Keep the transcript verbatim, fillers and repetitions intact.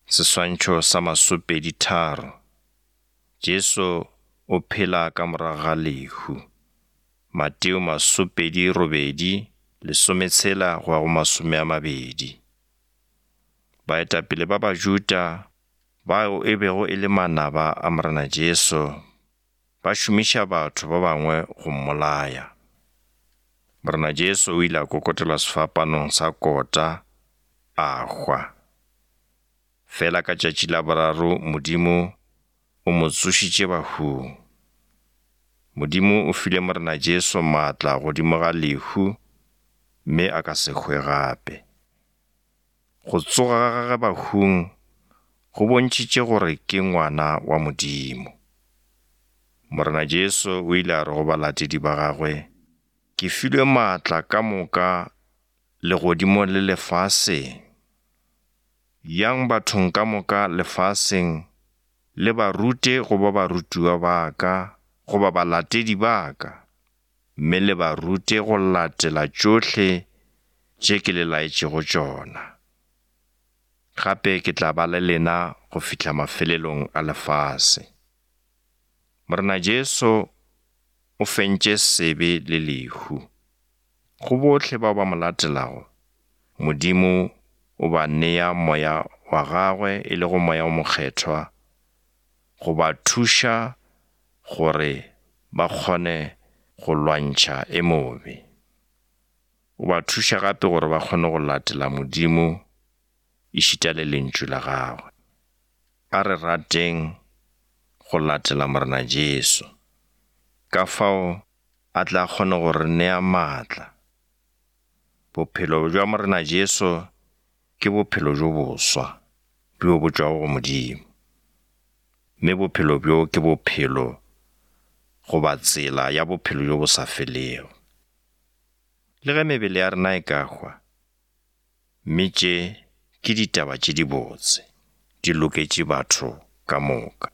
Seswantšho sa masopedi tharo. Jesu o phela ka morago ga lehu. Mateo masopedi robedi, lesometshela go ya go masome a mabedi. Baetapele ba Bajuda bao e bego e le manaba a Morena Jesu ba šomiša batho ba bangwe go mmolaya. Morena Jesu o ile a kokotelwa sefapanong sa kota a hwa. Fela ka tšatši la boraro Modimo o mo tsošitše bahung. Modimo o file Morena Jesu maatla godimo ga lehu mme a ka se hwe gape. Go tsoga ga gagwe bahung go bontšhitše gore ke ngwana wa Modimo. Morena Jesu o ile a re go balatedi ba gagwe, ke filwe maatla ka moka legodimong le lefaseng. Yang bathong ka moka lefaseng le ba rute go ba barutiwa ba ka goba balatedi ba ka, mme le ba rute go latela tšohle tše ke le laetšego tšona. Gape ke tla ba le lena go fihla mafelelong a lefase. Morena Jesu o fentše sebe le lehu. Go bohle bao ba mo latelago, Modimo o ba nea moya wa gagwe e lego moya o mokgethwa go ba thuša gore ba kgone go lwantšha e mobe. O ba thuša gape gore ba kgone go latela Modimo ešita le lentšu la gagwe. A re rateng go latela Morena Jesu. Ka fao a tla kgone go re nea maatla. Bophelo bja Morena Jesu ke bophelo bjo boswa bjo bo tšwago go Modimo. Mme bophelo bjo ke bophelo goba tsela ya bophelo bjo bo sa felego. Le ge mebele ya rena e ka hwa, mme tše ke ditaba tše dibotse, di loketše batho ka moka.